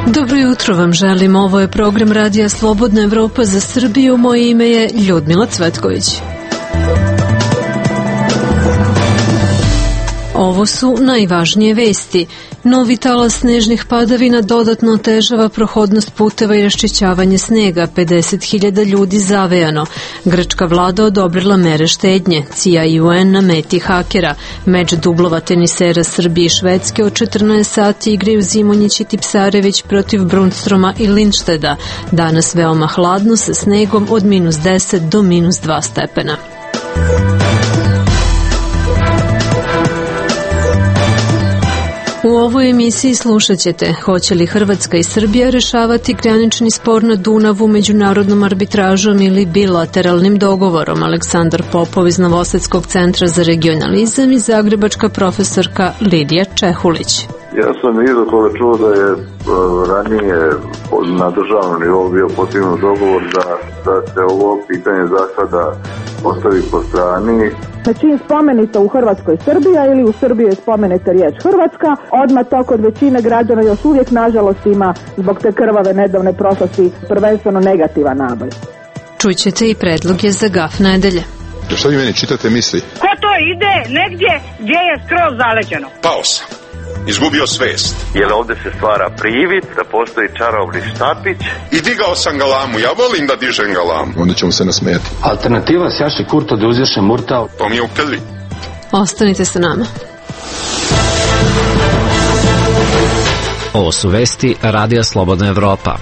Dobro jutro vam želim, ovo je program Radija Slobodna Evropa za Srbiju, moje ime je Ljudmila Cvetković. Ovo su najvažnije vesti. Novi talas snežnih padavina dodatno otežava prohodnost puteva i raščišćavanje snega. 50.000 ljudi zavejano. Grčka vlada odobrila mere štednje. CIA i UN na meti hakera. Meč dublova tenisera Srbije i Švedske od 14 sati igraju Zimonjić i Tipsarević protiv Brunstroma i Lindšteda. Danas veoma hladno sa snegom od -10 do -2 stepena. U ovoj emisiji slušat ćete hoće li Hrvatska i Srbija rešavati granični spor na Dunavu međunarodnom arbitražom ili bilateralnim dogovorom. Aleksandar Popov iz Novosadskog centra za regionalizam i zagrebačka profesorka Lidija Čehulić. Ja sam iza toga čuo da je ranije na državnom nivou bio postignut dogovor da se ovo pitanje za sada ostavi po strani. Čim spomenite u Hrvatskoj Srbija ili u Srbiji je spomenete riječ Hrvatska, odmah to kod većine građana još uvijek nažalost ima zbog te krvave nedavne prošlosti prvenstveno negativan naboj. Čućete i predloge za gaf nedelje. Što vi meni čitate misli? Ko to ide negdje gdje je skroz zaleđeno? Pao sam. Izgubio svest. Jer ovdje se stvara privid da postoji čarobni štapić. I digao sam galamu, ja volim da dižem galamu. Onda ćemo se nasmijati. Alternativa sjaši kurto da uzješe murtal. To mi je u krvi. Ostanite sa nama. Ovo su vesti Radija Slobodna Evropa.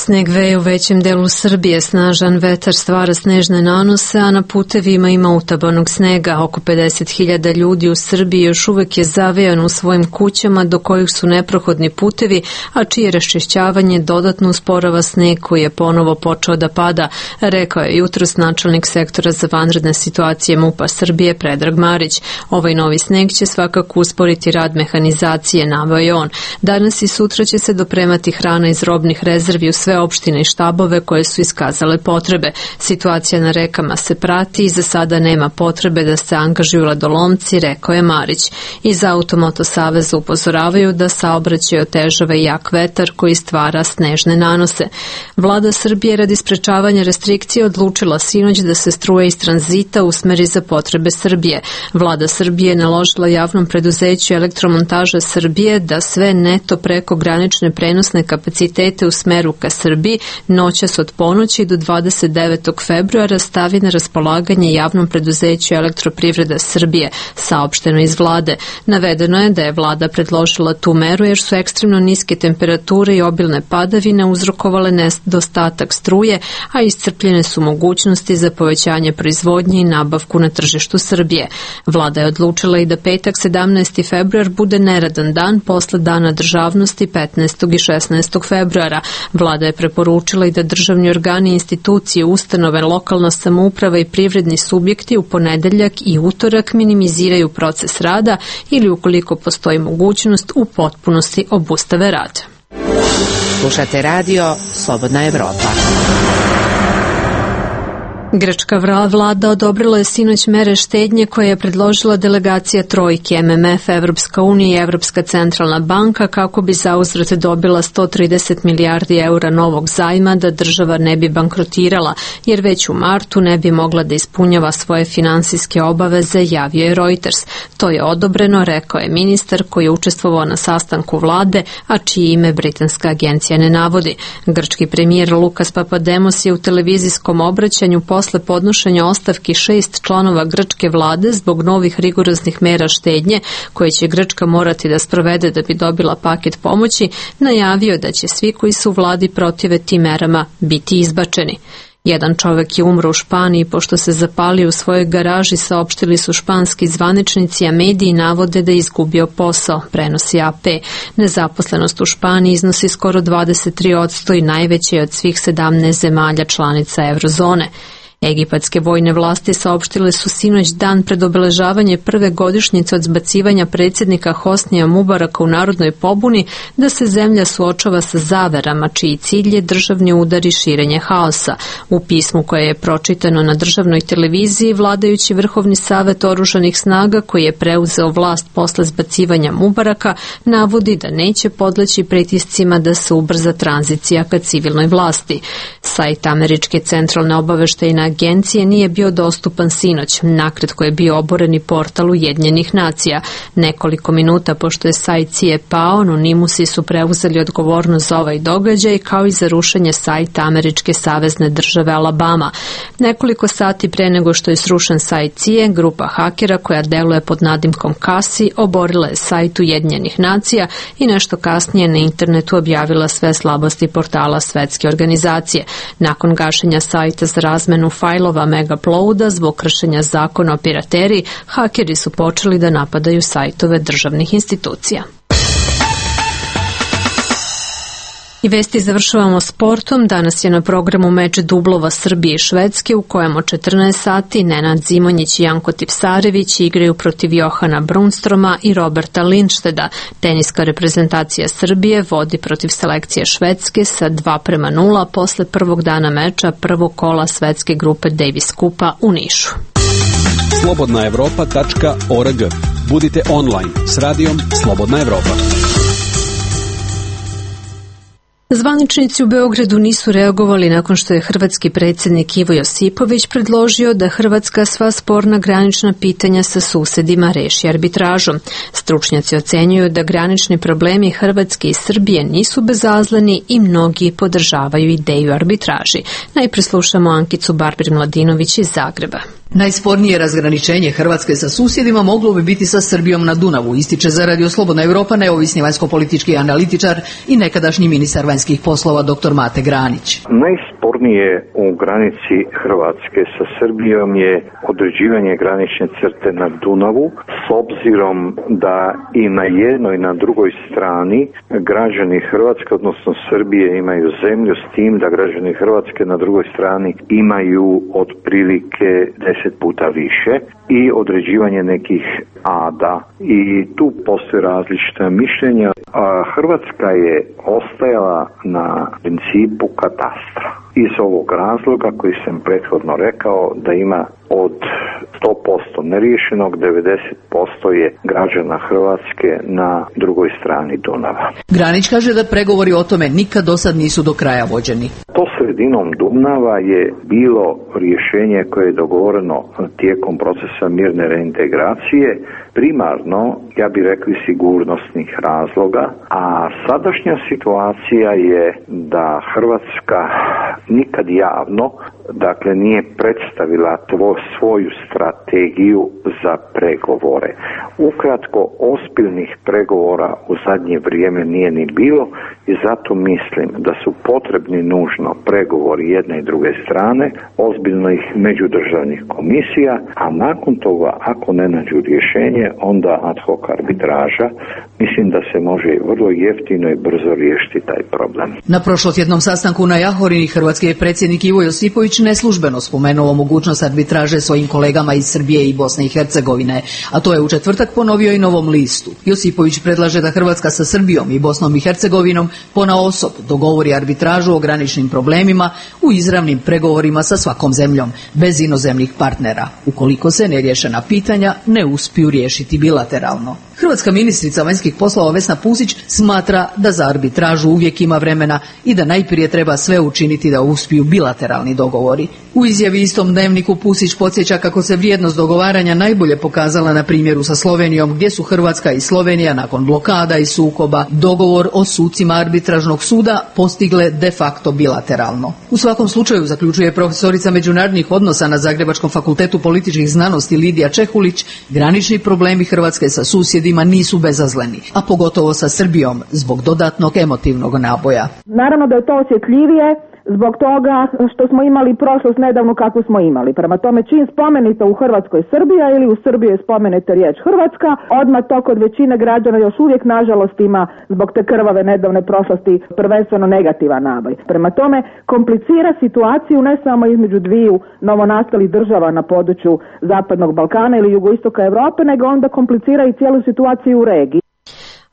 Sneg veje u većem delu Srbije, snažan vetar stvara snežne nanose, a na putevima ima utabanog snega. Oko 50.000 ljudi u Srbiji još uvek je zavejano u svojim kućama do kojih su neprohodni putevi, a čije raščišćavanje dodatno usporava sneg koji je ponovo počeo da pada, rekao je jutros načelnik sektora za vanredne situacije MUP-a Srbije Predrag Marić. Ovaj novi sneg će svakako usporiti rad mehanizacije, naveo je on. Danas i sutra će se dopremati hrana iz robnih rezervi u sve opštine i štabove koje su iskazale potrebe. Situacija na rekama se prati i za sada nema potrebe da se angažuju ledolomci, rekao je Marić. Iz Automoto saveza upozoravaju da saobraćaj otežava i jak vetar koji stvara snežne nanose. Vlada Srbije radi sprečavanja restrikcije odlučila sinoć da se struje iz tranzita usmeri za potrebe Srbije. Vlada Srbije je naložila javnom preduzeću Elektromontaža Srbije da sve neto preko granične prenosne kapacitete u smeru ka Srbiji noćas od ponoći do 29. februara stavi na raspolaganje javnom preduzeću Elektroprivreda Srbije, saopšteno iz vlade. Navedeno je da je vlada predložila tu meru jer su ekstremno niske temperature i obilne padavine uzrokovale nedostatak struje, a iscrpljene su mogućnosti za povećanje proizvodnje i nabavku na tržištu Srbije. Vlada je odlučila i da petak 17. februar bude neradan dan posle Dana državnosti 15. i 16. februara. Vlada je preporučila i da državni organi, institucije, ustanove, lokalna samouprava i privredni subjekti u ponedeljak i utorak minimiziraju proces rada ili ukoliko postoji mogućnost u potpunosti obustave rad. Slušate radio Slobodna Evropa. Grčka vlada odobrila je sinoć mere štednje koje je predložila delegacija trojke MMF, Evropska unija i Evropska centralna banka kako bi zauzvrat dobila 130 milijardi eura novog zajma da država ne bi bankrotirala, jer već u martu ne bi mogla da ispunjava svoje finansijske obaveze, javio je Reuters. To je odobreno, rekao je ministar koji je učestvovao na sastanku vlade, a čije ime britanska agencija ne navodi. Grčki premijer Lukas Papademos je u televizijskom obraćanju posle podnošenja ostavki 6 članova grčke vlade zbog novih rigoroznih mera štednje koje će Grčka morati da sprovede da bi dobila paket pomoći, najavio da će svi koji su u vladi protive tim merama biti izbačeni. Jedan čovek je umro u Španiji pošto se zapalio u svojoj garaži, saopštili su španski zvaničnici, a mediji navode da je izgubio posao, prenosi AP. Nezaposlenost u Španiji iznosi skoro 23% i najveće je od svih 17 zemalja članica eurozone. Egipatske vojne vlasti saopštile su sinoć dan pred obeležavanje prve godišnjice od zbacivanja predsjednika Hosnija Mubaraka u narodnoj pobuni da se zemlja suočava sa zaverama čiji cilj je državni udar i širenje haosa. U pismu koje je pročitano na državnoj televiziji, vladajući Vrhovni savet oružanih snaga koji je preuzeo vlast posle zbacivanja Mubaraka navodi da neće podleći pritiscima da se ubrza tranzicija ka civilnoj vlasti. Sajt Američke centralne obaveštajne agencije nije bio dostupan sinoć, nakratko je bio oboreni portal Ujedinjenih nacija. Nekoliko minuta pošto je sajt CIA pao, anonimusi su preuzeli odgovornost za ovaj događaj kao i za rušenje sajta Američke savezne države Alabama. Nekoliko sati pre nego što je srušen sajt CIA, grupa hakera koja deluje pod nadimkom Kasi oborila je sajt Ujedinjenih nacija i nešto kasnije na internetu objavila sve slabosti portala Svetske organizacije. Nakon gašenja sajta za razmenu fajlova Megaplouda zbog kršenja zakona o pirateriji, hakeri su počeli da napadaju sajtove državnih institucija. I vesti završavamo sportom. Danas je na programu meč dublova Srbije i Švedske u kojem od 14 sati Nenad Zimonjić i Janko Tipsarević igraju protiv Johana Brunstroma i Roberta Lindšteda. Teniska reprezentacija Srbije vodi protiv selekcije Švedske sa 2:0 posle prvog dana meča prvog kola svetske grupe Davis Kupa u Nišu. Slobodnaevropa.org. Budite online s radijom Slobodna Evropa. Zvaničnici u Beogradu nisu reagovali nakon što je hrvatski predsjednik Ivo Josipović predložio da Hrvatska sva sporna granična pitanja sa susedima reši arbitražom. Stručnjaci ocenjuju da granični problemi Hrvatske i Srbije nisu bezazleni i mnogi podržavaju ideju arbitraži. Najprije slušamo Ankicu Barbir-Mladinović iz Zagreba. Najspornije razgraničenje Hrvatske sa susjedima moglo bi biti sa Srbijom na Dunavu, ističe za Radio Slobodna Evropa neovisni vanjsko-politički analitičar i nekadašnji ministar vanjskih poslova dr. Mate Granić. Najspornije u granici Hrvatske sa Srbijom je određivanje granične crte na Dunavu, s obzirom da i na jednoj i na drugoj strani građani Hrvatske, odnosno Srbije, imaju zemlju, s tim da građani Hrvatske na drugoj strani imaju otprilike 10 puta više i određivanje nekih ada i tu postoje različita mišljenja. Hrvatska je ostajala na principu katastra. Iz ovog razloga koji sam prethodno rekao da ima od 100% neriješenog, 90% je građana Hrvatske na drugoj strani Dunava. Granić kaže da pregovori o tome nikad do sad nisu do kraja vođeni. To sredinom Dunava je bilo rješenje koje je dogovoreno tijekom procesa mirne reintegracije, primarno, ja bih rekli, sigurnosnih razloga, a sadašnja situacija je da Hrvatska nikad javno, dakle, nije predstavila svoju strategiju za pregovore. Ukratko, ozbiljnih pregovora u zadnje vrijeme nije ni bilo i zato mislim da su potrebni nužno pregovori jedne i druge strane, ozbiljnih međudržavnih komisija, a nakon toga, ako ne nađu rješenje, onda ad hoc arbitraža. Mislim da se može vrlo jeftino i brzo riješiti taj problem. Na prošlotjednom sastanku na Jahorini hrvatski je predsjednik Ivo Josipović neslužbeno spomenuo mogućnost arbitraže svojim kolegama iz Srbije i Bosne i Hercegovine, a to je u četvrtak ponovio i Novom listu. Josipović predlaže da Hrvatska sa Srbijom i Bosnom i Hercegovinom ponaosob dogovori arbitražu o graničnim problemima u izravnim pregovorima sa svakom zemljom, bez inozemnih partnera, ukoliko se neriješena pitanja ne uspiju riješiti bilateralno. Hrvatska ministrica vanjskih poslova Vesna Pusić smatra da za arbitražu uvijek ima vremena i da najprije treba sve učiniti da uspiju bilateralni dogovori. U izjavi istom dnevniku Pusić podsjeća kako se vrijednost dogovaranja najbolje pokazala na primjeru sa Slovenijom, gdje su Hrvatska i Slovenija nakon blokada i sukoba dogovor o sucima arbitražnog suda postigle de facto bilateralno. U svakom slučaju, zaključuje profesorica međunarodnih odnosa na Zagrebačkom fakultetu političkih znanosti Lidija Čehulić, granični problemi Hrvatske sa susjedima nisu bezazleni, a pogotovo sa Srbijom zbog dodatnog emotivnog naboja. Naravno da je to osjetljivije zbog toga što smo imali prošlost nedavno kakvu smo imali. Prema tome, čim spomenuta u Hrvatskoj Srbija ili u Srbiji je spomenuta riječ Hrvatska, odmah to kod većine građana još uvijek nažalost ima zbog te krvave nedavne prošlosti prvenstveno negativan naboj. Prema tome, komplicira situaciju ne samo između dviju novonastalih država na području Zapadnog Balkana ili jugoistoka Europe, nego onda komplicira i cijelu situaciju u regiji.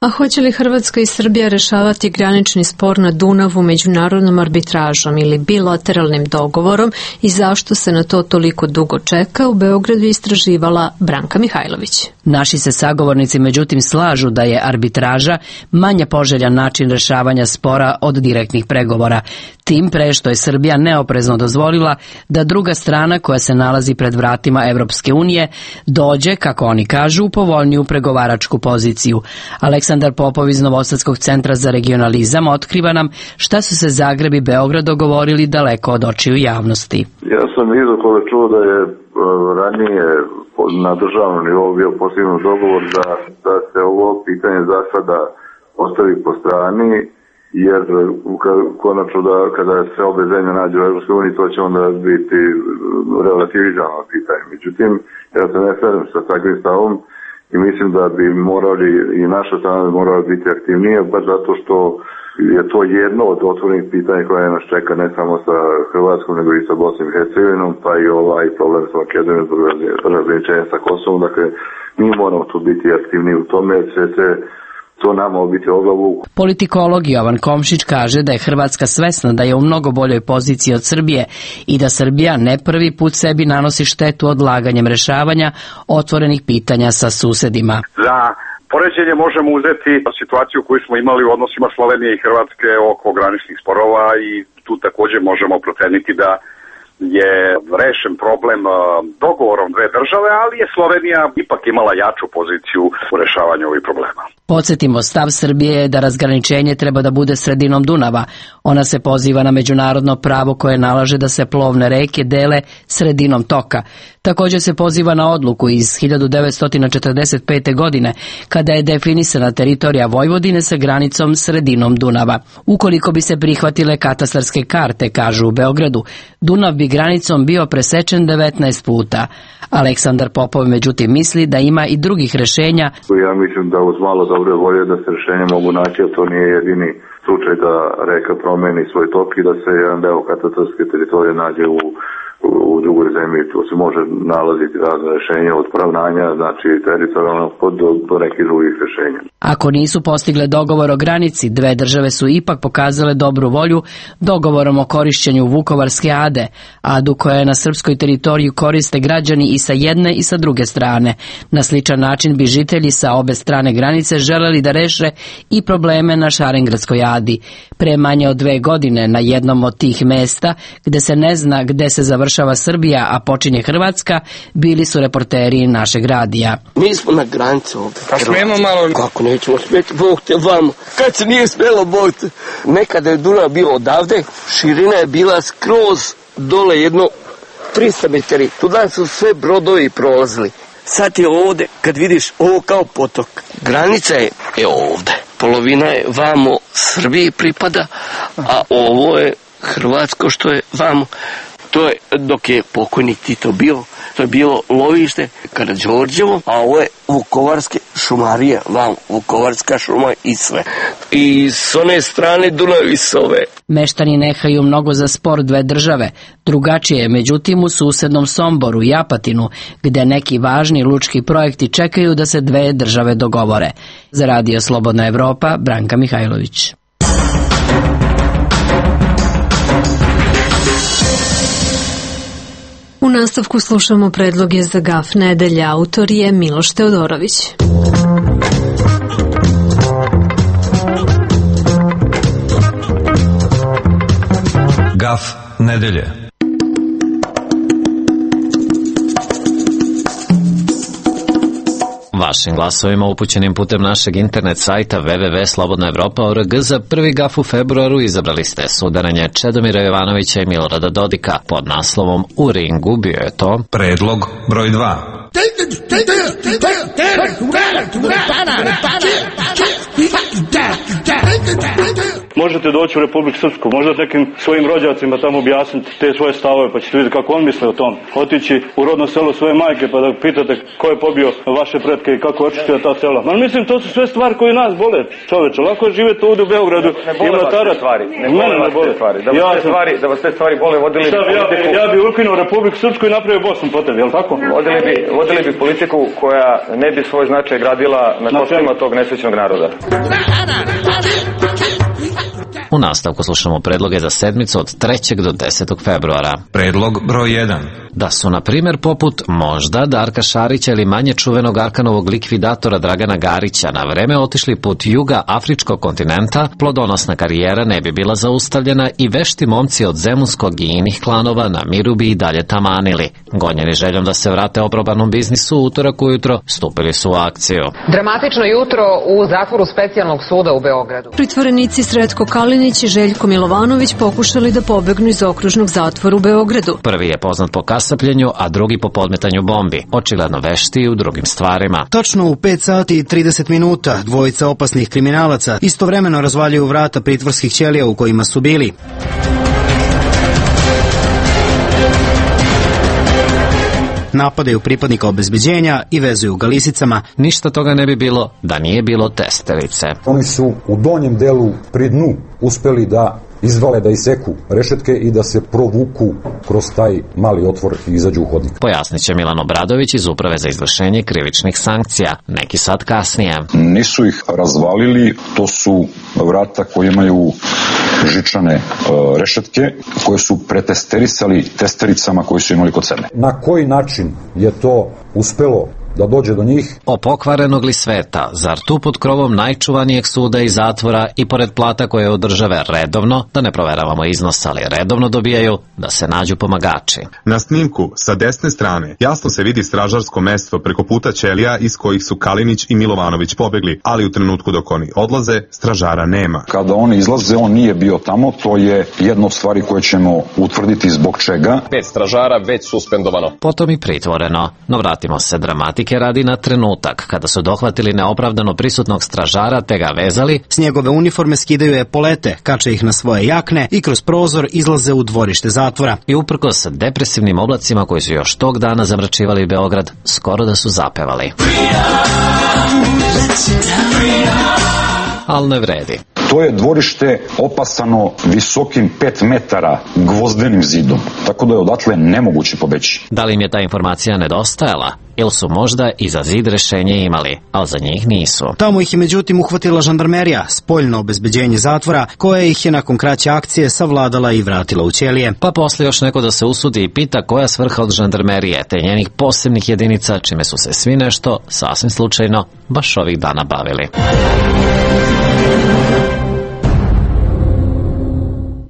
A hoće li Hrvatska i Srbija rešavati granični spor na Dunavu međunarodnom arbitražom ili bilateralnim dogovorom i zašto se na to toliko dugo čeka, u Beogradu istraživala Branka Mihajlović. Naši se sagovornici međutim slažu da je arbitraža manje poželjan način rešavanja spora od direktnih pregovora, tim pre što je Srbija neoprezno dozvolila da druga strana koja se nalazi pred vratima Evropske unije dođe, kako oni kažu, u povoljniju pregovaračku poziciju. Aleksandar Popov iz Novosadskog centra za regionalizam otkriva nam šta su se Zagreb i Beograd dogovorili daleko od očiju javnosti. Ja sam izokole čuo da je ranije na državnom nivou bio postignut dogovor da se ovo pitanje za sada ostavi po strani, jer konačno da kada se obe zemlje nađe u Evropskoj uniji, to će onda biti relativizirano pitanje. Međutim, ja se ne slažem sa takvim stavom i mislim da bi morali i naša strana morala biti aktivnija, baš zato što je to jedno od otvorenih pitanja koje nas čeka ne samo sa Hrvatskom, nego i sa Bosnom i Hercegovinom, pa i ovaj problem sa Makedonijom zbog razgraničenja sa Kosovom. Dakle, mi moramo tu biti aktivniji u tome, jer će to nama obiti o glavu. Politikolog Jovan Komšić kaže da je Hrvatska svesna da je u mnogo boljoj poziciji od Srbije i da Srbija ne prvi put sebi nanosi štetu odlaganjem rešavanja otvorenih pitanja sa susedima. Za poređenje možemo uzeti situaciju koju smo imali u odnosima Slovenije i Hrvatske oko graničnih sporova i tu također možemo proceniti da je rešen problem dogovorom dve države, ali je Slovenija ipak imala jaču poziciju u rešavanju ovih problema. Podsjetimo, stav Srbije je da razgraničenje treba da bude sredinom Dunava. Ona se poziva na međunarodno pravo koje nalaže da se plovne reke dele sredinom toka. Također se poziva na odluku iz 1945. godine, kada je definisana teritorija Vojvodine sa granicom sredinom Dunava. Ukoliko bi se prihvatile katastarske karte, kažu u Beogradu, Dunav bi granicom bio presečen 19 puta. Aleksandar Popov međutim misli da ima i drugih rešenja. Ja mislim da uz malo dobre volje da se rešenje mogu naći, a to nije jedini slučaj da reka promeni svoj tok i da se jedan deo katastarske teritorije nađe u drugoj zemlji. Tu se može nalaziti razne rešenja od poravnanja, znači teritorijalnog do nekih drugih rešenja. Ako nisu postigle dogovor o granici, dve države su ipak pokazale dobru volju dogovorom o korišćenju Vukovarske ade, adu koja je na srpskoj teritoriji koriste građani i sa jedne i sa druge strane. Na sličan način bi žitelji sa obe strane granice želeli da reše i probleme na Šarengradskoj adi. Pre manje od 2 godine na jednom od tih mesta, gde se ne zna gde se završava Srbija, a počinje Hrvatska, bili su reporteri našeg radija. Mi smo na granici ovdje. A smijemo malo? Kako nećemo smjeti, Bog te vamo. Kad se nije smjelo, Bog te. Nekada je Dunav bio odavde, širina je bila skroz dole jedno 300 metri. Tuda su sve brodovi prolazili. Sad je ovdje, kad vidiš ovo kao potok, granica je ovdje. Polovina je vamo Srbiji pripada, a ovo je Hrvatsko što je vamo. To je dok je pokojnik Tito bio, to je bilo lovište Karađorđevo, a ovo je Vukovarske šumarije, vam Vukovarska šuma i sve. I s one strane Dunav i s ove. Meštani nehaju mnogo za spor dve države. Drugačije je međutim u susednom Somboru i Apatinu, gde neki važni lučki projekti čekaju da se dve države dogovore. Za Radio Slobodna Evropa, Branka Mihajlović. U nastavku slušamo predloge za gaf nedelje. Autor je Miloš Teodorović. Gaf nedelje. Vašim glasovima upućenim putem našeg internet sajta www.slobodnaevropa.org za prvi gaf u februaru izabrali ste sudaranje Čedomira Jovanovića i Milorada Dodika pod naslovom U ringu. Bio je to predlog broj 2. možete doći u Republiku Srpsku, možda nekim svojim rođacima tamo objasniti te svoje stavove, pa ćete vidjeti kako on misle o tom. Otići u rodno selo svoje majke pa da pitate ko je pobio vaše pretke i kako očistio ta sela. Ma mislim, to su sve stvari koje nas bole, čoveče. Lako je živjeti ovdje u Beogradu. Ne bole vas te stvari. Da vas te stvari bole, vodili bi politiku. Ja bi ukinuo Republiku Srpsku i napravio Bosnu po tebi, jel tako? Vodili bi politiku koja ne bi svoj značaj gradila na kostima tog nesrećnog naroda. U nastavku slušamo predloge za sedmicu od 3. do 10. februara. Predlog broj 1. Da su, na primjer, poput možda Darka Šarića ili manje čuvenog Arkanovog likvidatora Dragana Garića na vreme otišli put juga afričkog kontinenta, plodonosna karijera ne bi bila zaustavljena i vešti momci od zemunskog i inih klanova na miru bi i dalje tamanili. Gonjeni željom da se vrate oprobanom biznisu, utorak ujutro stupili su u akciju. Dramatično jutro u zatvoru specijalnog suda u Beogradu. Pritvorenici Sretko Kalinić i Željko Milovanović pokušali da pobegnu iz okružnog zatvora u Beogradu. Prvi je poznat po kasapljenju, a drugi po podmetanju bombi. Očigledno vešti i u drugim stvarima. Točno u 5 sati i 30 minuta dvojica opasnih kriminalaca istovremeno razvaljuju vrata pritvorskih ćelija u kojima su bili. Napadaju pripadnika obezbeđenja i vezuju ga lisicama. Ništa toga ne bi bilo da nije bilo testerice. Oni su u donjem delu pri dnu uspeli da izvale, da iseku rešetke i da se provuku kroz taj mali otvor i izađu u hodnik. Pojasnit će Milan Obradović iz Uprave za izvršenje krivičnih sankcija, neki sat kasnije. Nisu ih razvalili, to su vrata koje imaju žičane rešetke koje su pretesterisali testericama koji su imali kod sebe. Na koji način je to uspelo da dođe do njih? O pokvarenog li sveta, zar tu pod krovom najčuvanijeg suda i zatvora i pored plata koje od države redovno, da ne proveravamo iznos, ali redovno dobijaju, da se nađu pomagači. Na snimku sa desne strane jasno se vidi stražarsko mesto preko puta ćelija iz kojih su Kalinić i Milovanović pobegli, ali u trenutku dok oni odlaze, stražara nema. Kada oni izlaze, on nije bio tamo, to je jedna od stvari koje ćemo utvrditi zbog čega. 5 stražara već suspendovano. Potom i pritvoreno, no vratimo se dramatike radi na trenutak kada su dohvatili neopravdano prisutnog stražara te ga vezali. S njegove uniforme skidaju epolete, kače ih na svoje jakne i kroz prozor izlaze u dvorište zatvora. I uprkos depresivnim oblacima koji su još tog dana zamračivali Beograd, skoro da su zapevali. Ali ne vredi. To je dvorište opasano visokim 5 metara gvozdenim zidom, tako da je odatle nemoguće pobeći. Da li im je ta informacija nedostajala? Ili su možda i za zid rešenje imali, ali za njih nisu. Tamo ih je međutim uhvatila žandarmerija, spoljno obezbeđenje zatvora, koja ih je nakon kraće akcije savladala i vratila u ćelije. Pa posle još neko da se usudi i pita koja svrha od žandarmerije te njenih posebnih jedinica, čime su se svi nešto, sasvim slučajno, baš ovih dana bavili.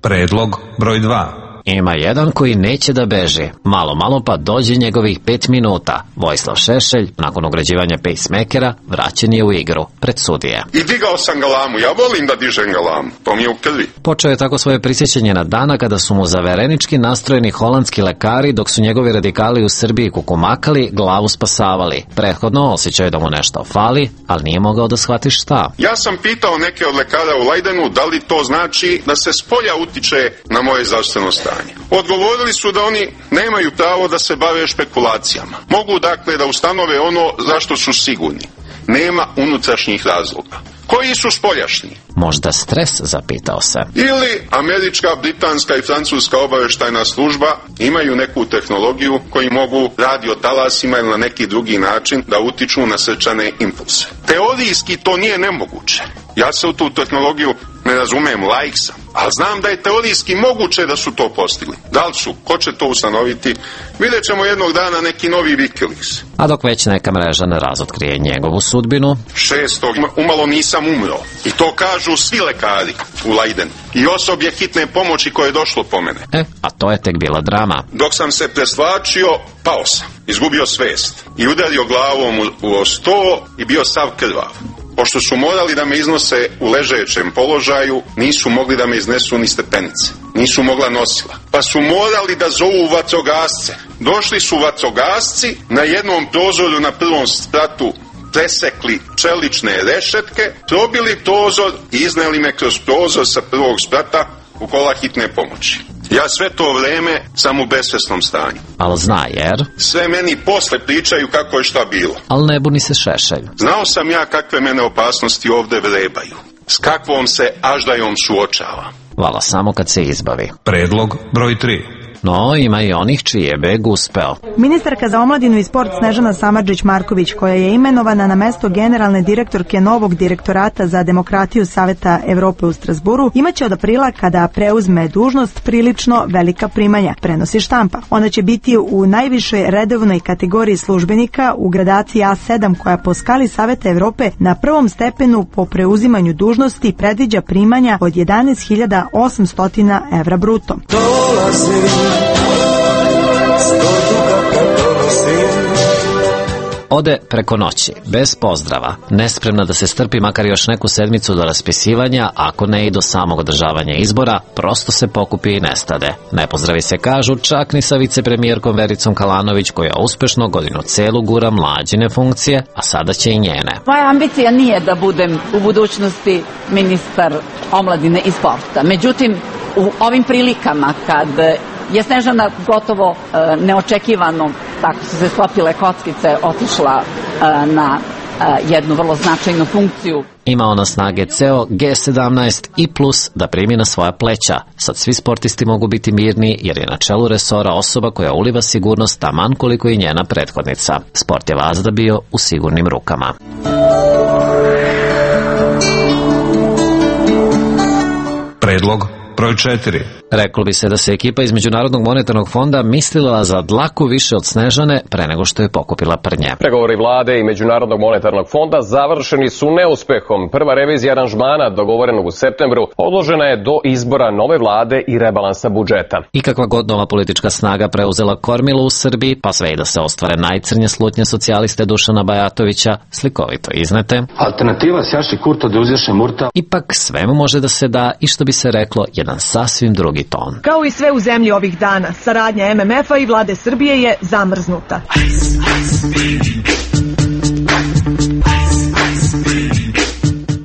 Predlog broj 2. Ima jedan koji neće da beži. Malo pa dođe njegovih 5 minuta. Vojislav Šešelj, nakon ugrađivanja pacemakera, vraćen je u igru pred sudije. I digao sam galamu, ja volim da dižem galamu, to mi je u krvi. Počeo je tako svoje prisjećanje na dana kada su mu zaverenički nastrojeni holandski lekari, dok su njegovi radikali u Srbiji kukumakali, glavu spasavali. Prethodno osjećao je da mu nešto fali, ali nije mogao da shvati šta. Ja sam pitao neke od lekara u Leidenu da li to znači da se spolja utiče na moje zdravstveno stanje. Odgovorili su da oni nemaju pravo da se bave špekulacijama. Mogu dakle da ustanove ono zašto su sigurni. Nema unutrašnjih razloga. Koji su spoljašnji? Možda stres, zapitao se. Ili američka, britanska i francuska obavještajna služba imaju neku tehnologiju koji mogu radiotalasima ili na neki drugi način da utiču na srčane impulse. Teorijski to nije nemoguće. Ja se u tu tehnologiju ne razumem, laik sam, ali znam da je teorijski moguće da su to postigli. Da li su? Ko će to ustanoviti? Vidjet ćemo jednog dana neki novi Wikileaks. A dok već neka mreža ne razotkrije njegovu sudbinu. 6. umalo nisam umro. I to kažu svi lekari u Leidenu. I osoblje hitne pomoći koje je došlo po mene. A to je tek bila drama. Dok sam se preslačio, pao sam. Izgubio svest. I udario glavom u sto i bio sav krvav. Pošto su morali da me iznose u ležećem položaju, nisu mogli da me iznesu ni stepenice. Nisu mogla nosila. Pa su morali da zovu vatrogasce. Došli su vatrogasci, na jednom prozoru na prvom spratu presekli čelične rešetke, probili prozor i izneli me kroz prozor sa prvog sprata u kola hitne pomoći. Ja sve to vreme sam u besvesnom stanju. Al zna jer? Sve meni posle pričaju kako je šta bilo. Al ne buni se Šešelj. Znao sam ja kakve mene opasnosti ovde vrebaju. S kakvom se aždajom suočava. Vala samo kad se izbavi. Predlog broj 3. No, ima i onih čiji je beg uspeo. Ministarka za omladinu i sport Snežana Samardžić-Marković, koja je imenovana na mesto generalne direktorke novog direktorata za demokratiju Saveta Evrope u Strasburu, imaće od aprila, kada preuzme dužnost, prilično velika primanja, prenosi štampa. Ona će biti u najvišoj redovnoj kategoriji službenika u gradaciji A7, koja po skali Saveta Evrope na prvom stepenu po preuzimanju dužnosti predviđa primanja od 11.800 evra bruto. Ode preko noći, bez pozdrava, nespremna da se strpi makar još neku sedmicu do raspisivanja, ako ne i do samog održavanja izbora, prosto se pokupi i nestade. Ne pozdravi se kažu čak ni sa vicepremijerkom Vericom Kalanović, koja uspešno godinu celu gura mlađine funkcije, a sada će i njene. Moja ambicija nije da budem u budućnosti ministar omladine i sporta. Međutim, u ovim prilikama kad je Snežana gotovo neočekivano, tako su se sklopile kockice, otišla na jednu vrlo značajnu funkciju. Ima ona snage ceo G17 i plus da primi na svoja pleća. Sad svi sportisti mogu biti mirni jer je na čelu resora osoba koja uliva sigurnost taman koliko i njena prethodnica. Sport je vazda bio u sigurnim rukama. Predlog broj 4. Reklo bi se da se ekipa iz Međunarodnog monetarnog fonda mislila za dlaku više od Snežane pre nego što je pokupila prnje. Pregovori vlade i Međunarodnog monetarnog fonda završeni su neuspehom. Prva revizija aranžmana dogovorenog u septembru odložena je do izbora nove vlade i rebalansa budžeta. I kakva god nova politička snaga preuzela kormilo u Srbiji, pa sve i da se ostvare najcrnje slutnje socijaliste Dušana Bajatovića, slikovito iznete. Alternativa Sjaši Kurta da uzješe Murta. Ipak svemu može da se da i što bi se reklo jedan sasvim drugi ton. Kao i sve u zemlji ovih dana, saradnja MMF-a i vlade Srbije je zamrznuta.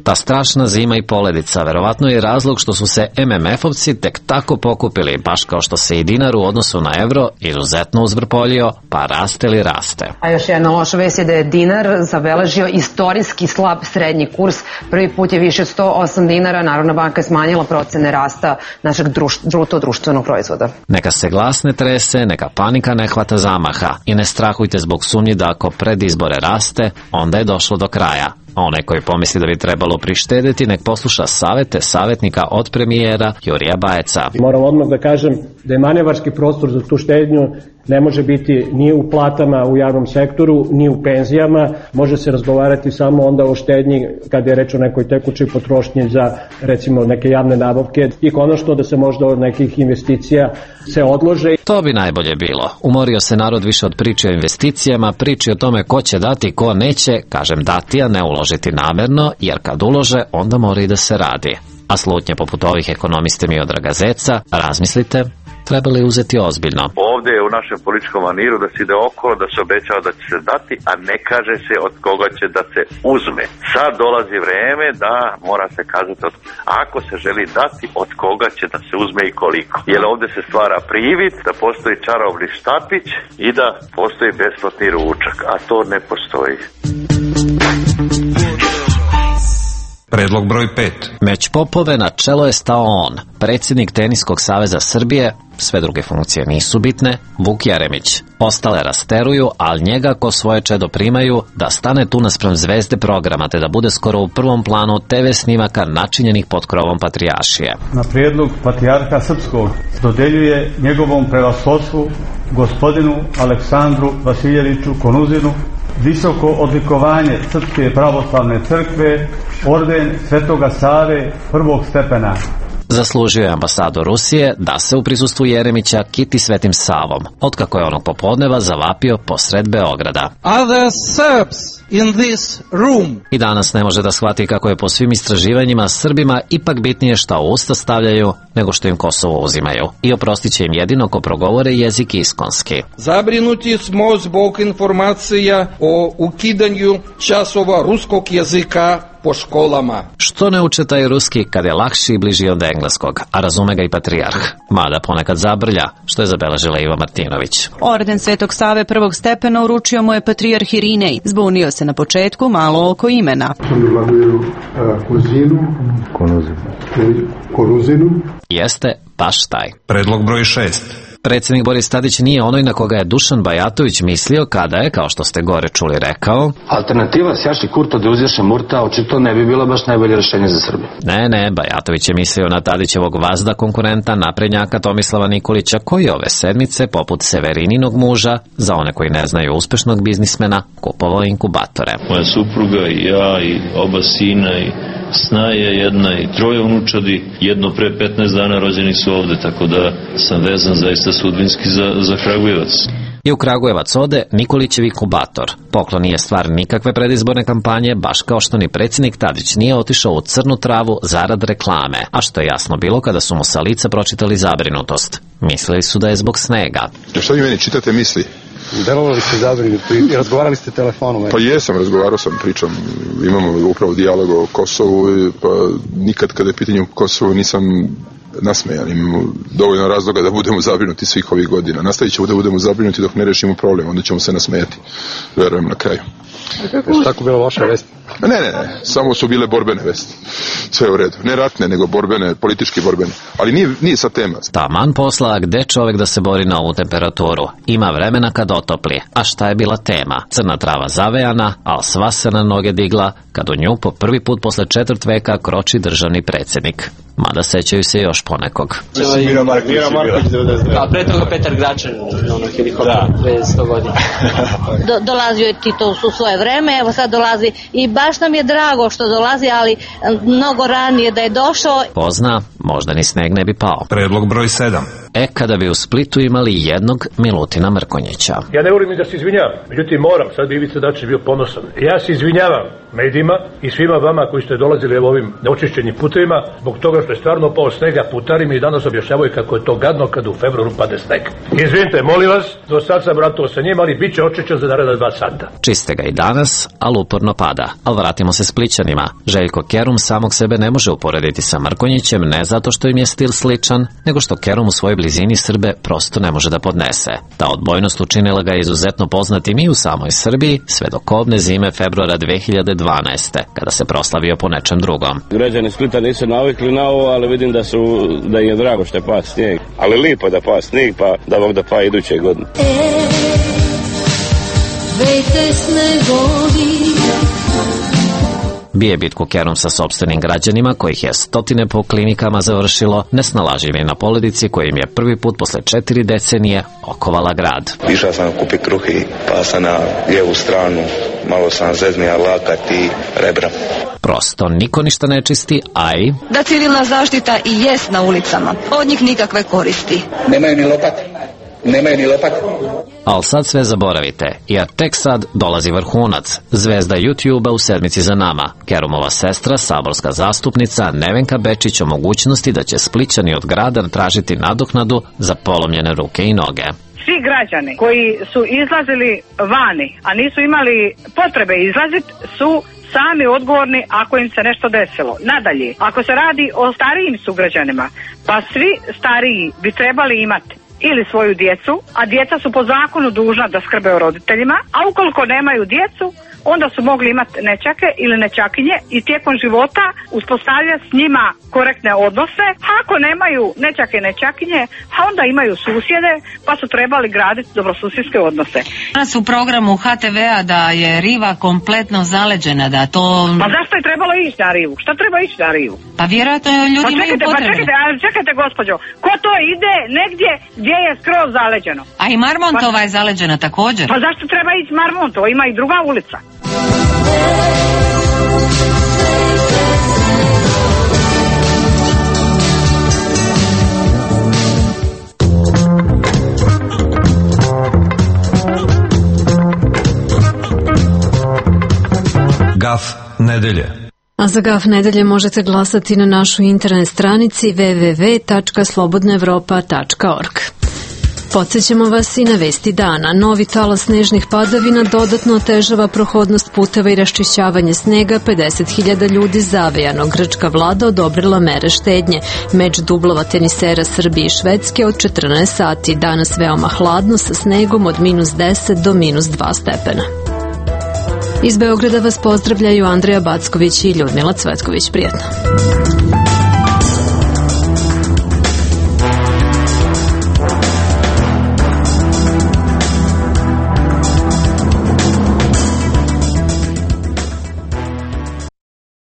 Ta strašna zima i poledica verovatno je razlog što su se MMF-ovci tek tako pokupili, baš kao što se i dinar u odnosu na evro izuzetno uzvrpoljio, pa raste li raste. A još jedna loša vest je da je dinar zabeležio istorijski slab srednji kurs. Prvi put je više od 108 dinara, Narodna banka je smanjila procene rasta našeg bruto društvenog proizvoda. Neka se glas ne trese, neka panika ne hvata zamaha i ne strahujte zbog sumnji da ako pred izbore raste, onda je došlo do kraja. A onaj koji pomisli da bi trebalo prištedeti, nek posluša savete savjetnika od premijera Jurija Bajeca. Moram odmah da kažem da je manevarski prostor za tu štednju ne može biti ni u platama u javnom sektoru, ni u penzijama. Može se razgovarati samo onda o štednji kad je reč o nekoj tekućoj potrošnji za recimo neke javne nabavke i konačno da se možda od nekih investicija se odlože. To bi najbolje bilo. Umorio se narod više od priče o investicijama, priči o tome ko će dati, ko neće, kažem dati, a ne uložiti namerno, jer kad ulože, onda mora i da se radi. A slutnje poput ovih ekonomiste Miodraga Zeca, razmislite, trebali uzeti ozbiljno. Ovdje je u našem političkom maniru da se ide okolo, da se obećava da će se dati, a ne kaže se od koga će da se uzme. Sad dolazi vreme da mora se kazati ako se želi dati, od koga će da se uzme i koliko. Jer ovdje se stvara privid da postoji čarobni štapić i da postoji besplatni ručak, a to ne postoji. Predlog broj 5. Meć Popove na čelo je stao on, predsjednik Teniskog saveza Srbije, sve druge funkcije nisu bitne, Vuk Jeremić. Ostale rasteruju, ali njega ko svoje čedo primaju da stane tu naspram zvezde programa, te da bude skoro u prvom planu TV snimaka načinjenih pod krovom patrijaršije. Na prijedlog patrijarha Srpskog dodeljuje njegovom prevashodstvu gospodinu Aleksandru Vasiljeviću Konuzinu visoko odlikovanje Srpske pravoslavne crkve, orden Svetoga Save prvog stepena. Zaslužio je ambasador Rusije da se u prisustvu Jeremića kiti Svetim Savom, otkako je onog popodneva zavapio posred Beograda. Other Serbs in this room. I danas ne može da shvati kako je po svim istraživanjima Srbima ipak bitnije šta u usta stavljaju nego što im Kosovo uzimaju. I oprostit će im jedino ko progovore jezik iskonski. Zabrinuti smo zbog informacija o ukidanju časova ruskog jezika po školama. Što ne uče taj ruski kad je lakši i bliži od engleskog, a razume ga i patrijarh, mada ponekad zabrlja, što je zabeležila Iva Martinović. Orden Svetog Save prvog stepena uručio mu je patrijarh Irinej. Zbunio se na početku malo oko imena. Jeste baš taj. Predlog broj 6. Predsjednik Boris Tadić nije onoj na koga je Dušan Bajatović mislio kada je, kao što ste gore čuli, rekao: Alternativa sjaši Kurta da uzješe Murta očito ne bi bilo baš najbolje rješenje za Srbiju. Ne, Bajatović je mislio na Tadićevog vazda konkurenta naprednjaka Tomislava Nikolića, koji ove sedmice, poput Severininog muža, za one koji ne znaju uspešnog biznismena, kupovao inkubatore. Moja supruga i ja i oba sina i snaja jedna i troje unučadi, jedno pre 15 dana rođeni su ovde, tako da sam vezan zaista sudbinski za Kragujevac. I u Kragujevac ode Nikolićev inkubator. Poklon nije stvar nikakve predizborne kampanje, baš kao što ni predsjednik Tadić nije otišao u crnu travu zarad reklame, a što je jasno bilo kada su mu sa lica pročitali zabrinutost. Mislili su da je zbog snega. Što vi meni čitate misli? Delovali ste zabrinuti i razgovarali ste telefonom. Pa jesam, razgovarao sam, pričam, imamo upravo dijalog o Kosovu, pa nikad kada je pitanje o Kosovu nisam nasmejan, imamo dovoljno razloga da budemo zabrinuti svih ovih godina. Nastavit ćemo da budemo zabrinuti dok ne rešimo problem, onda ćemo se nasmejati, verujem, na kraju. Je tako bila loša vest? Ne, samo su bile borbene vesti. Sve u redu. Ne ratne, nego borbene, politički borbene. Ali nije sad tema. Taman posla, gde čovjek da se bori na ovu temperaturu? Ima vremena kad otopli. A šta je bila tema? Crna trava zavejana, al sva se na noge digla, kad u nju po prvi put posle 4 veka kroči državni predsjednik. Mada sećaju se još ponekog. Mira Marković, a pre toga Petar Gračan, helikopter, 100 godina. Dolazio je Tito u svoje vreme, evo sad dolazi i baš nam je drago što dolazi, ali mnogo ranije da je došao. Pozna, možda ni sneg ne bi pao. Predlog broj 7. Kada bi u Splitu imali jednog Milutina Mrkonjića. Ja ne volim ni da se izvinjavam, međutim moram, sad bi Ivica Dačić bio ponosan. Ja se izvinjavam medijima i svima vama koji ste dolazili ovim neočišćenim putevima, zbog toga što je stvarno pao snega, putari mi danas objašnjavaju kako je to gadno kad u februaru pade sneg. Izvinite, molim vas, do sad sam ratao sa njima, ali bit će očišćen za naredna 2 sata. Čiste ga i danas, ali uporno pada. Ali vratimo se Splićanima. Željko Kerum samog sebe ne može uporediti sa Mrkonjićem, ne zato što im je stil sličan, nego što Kerum u svojoj blizini Srbe prosto ne može da podnese. Ta odbojnost učinila ga izuzetno poznatim i u samoj Srbiji, sve do kobne zime februara 2012. kada se proslavio po nečem drugom. Građani Splita nisu navikli na ovo, ali vidim da im je drago što je pa snijeg. Ali lipo da pa snijeg, pa da Bog da pa iduće godine. Bije bitku Kerum sa sopstvenim građanima, kojih je stotine po klinikama završilo, nesnalažljivi na poledici koji im je prvi put posle 4 decenije okovala grad. Išao sam kupiti kruhi, pa sam na lijevu stranu, malo sam zeznija lakat i rebra. Prosto niko ništa ne čisti, a i da civilna zaštita i jest na ulicama, od njih nikakve koristi. Nemaju ni lopat. Ali sad sve zaboravite, jer tek sad dolazi vrhunac, zvezda YouTube-a u sedmici za nama, Kerumova sestra, saborska zastupnica Nevenka Bečić o mogućnosti da će Splićani od grada tražiti nadoknadu za polomljene ruke i noge. Svi građani koji su izlazili vani, a nisu imali potrebe izlaziti, su sami odgovorni ako im se nešto desilo. Nadalje, ako se radi o starijim sugrađanima, pa svi stariji bi trebali imati ili svoju djecu, a djeca su po zakonu dužna da skrbe o roditeljima, a ukoliko nemaju djecu, onda su mogli imati nećake ili nećakinje i tijekom života uspostavljati s njima korektne odnose. A ako nemaju nećake i nećakinje, a onda imaju susjede, pa su trebali graditi dobrosusjedske odnose. Danas u programu HTV-a da je riva kompletno zaleđena, da to... Pa zašto je trebalo ići na rivu? Šta treba ići na rivu? Pa vjerojatno ljudi imaju potrebe. Čekajte gospođo, ko to ide negdje gdje je skroz zaleđeno? A i Marmontova je zaleđena također. Pa zašto treba ići Marmontova? Ima i druga ulica. Gaf nedelje. A za Gaf nedelje možete glasati na našoj internet stranici www.slobodnaevropa.org. Podsjećamo vas i na vesti dana. Novi talas snežnih padavina dodatno otežava prohodnost puteva i raščišćavanje snega. 50.000 ljudi zavejano. Grčka vlada odobrila mere štednje. Meč dublova tenisera Srbije i Švedske od 14 sati. Danas veoma hladno sa snegom od -10 do -2 stepena. Iz Beograda vas pozdravljaju Andreja Backović i Ljudmila Cvetković. Prijatno.